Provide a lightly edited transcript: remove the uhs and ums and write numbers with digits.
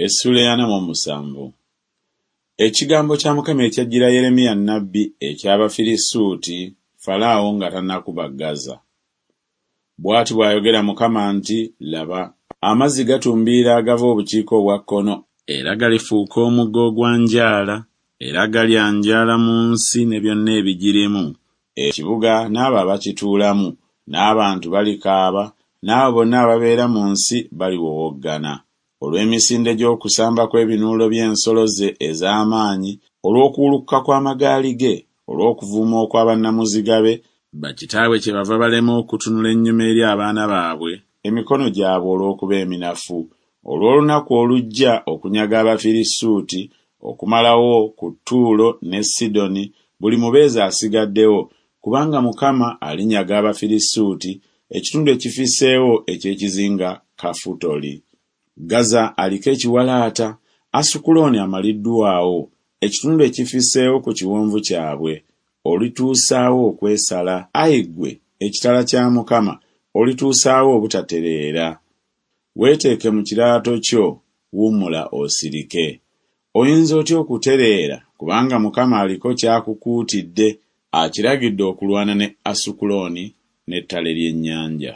Essuula ey'ana mu omusanvu. Ekigambo kya Mukama ekyajjira Yeremiya nnabbi eky'Abafirisuuti, Falaawo nga tannakuba Gaza. Bw'ati bw'ayogera Mukama nti Laba, amazzi gatumbiira agava obukiika obwa kkono, era galifuuka omugga ogwanjaala, era galyanjaala mu nsi ne byonna ebigirimu, ekibuga n'abo abakituulamu, n'abantu balikaaba, n'abo bonna ababeera mu nsi baliwowoggana, olw'emisinde gy'okusamba kw'ebinuulo by'ensolo ze ez'amaanyi, olw'okuwulukuka kw'amagaali ge, olw'okuvuuma okwa bannamuziga be, Bakitaabwe kyebava balema okutunula ennyuma eri abaana baabwe, emikono gyabwe olw'okuba eminafu, olw'olunaku olujja okunyaga Abafirisuuti, okumalawo ku Ttuulo ne Sidoni buli mubeezi asigaddewo, kubanga Mukama alinyaga Abafirisuuti, ekitundu ekifisseewo eky'ekizinga Kafutoli. Gaza aliko ekiwalaata, Asukulooni amaliddwawo, ekitundu ekifisseewo ku kiwonvu kyabwe. Olituusa wa okwesala, ai ggwe ekitala kya Mukama, olituusa wa obutatereera? Weeteeke mu kiraato kyo, wummula osirike. Oyinza otya okutereera, kubanga Mukama aliko ky'akukuutidde, akiragidde okulwana ne Asukulooni n'ettale ly'ennyanja?